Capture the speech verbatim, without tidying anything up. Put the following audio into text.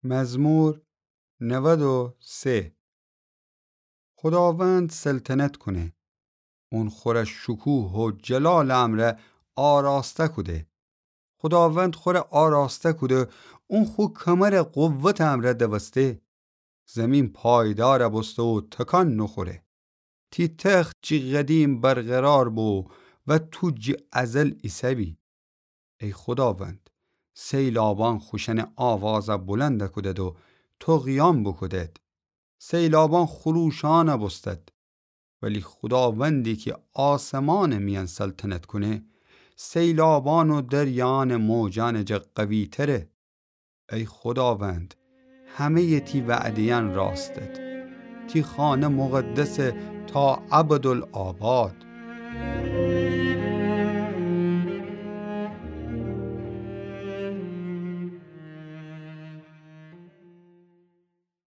مزمور نود و سه. خوداوند سلطنت کونه. اون خوره شکوه و جلالٚ امرأ آراسته کوده. خوداوند خوره آراسته کوده، اون خو کمرٚ قوتٚ امرأ دوسته. زیمین پایدار بوسته و تکان نوخوره. تی تخت جٚه قدیم برقرار بو و تو جٚه ازل ایسه‌بی. ای خوداوند، سیلابأن خوشأنٚ آوازَ بلند کودد و طغیان بوکودد. سیلابأن خروشان بوستد. ولی خوداوندی کی آسمانٚ میأن سلطنت کونه، سیلابأن و دریایأنٚ موجأنٚ جا قوی‌تره. ای خوداوند، همه‌یٚ تی وعده‌یأن راستد. تی خانه مقدسه تا ابدالآباد.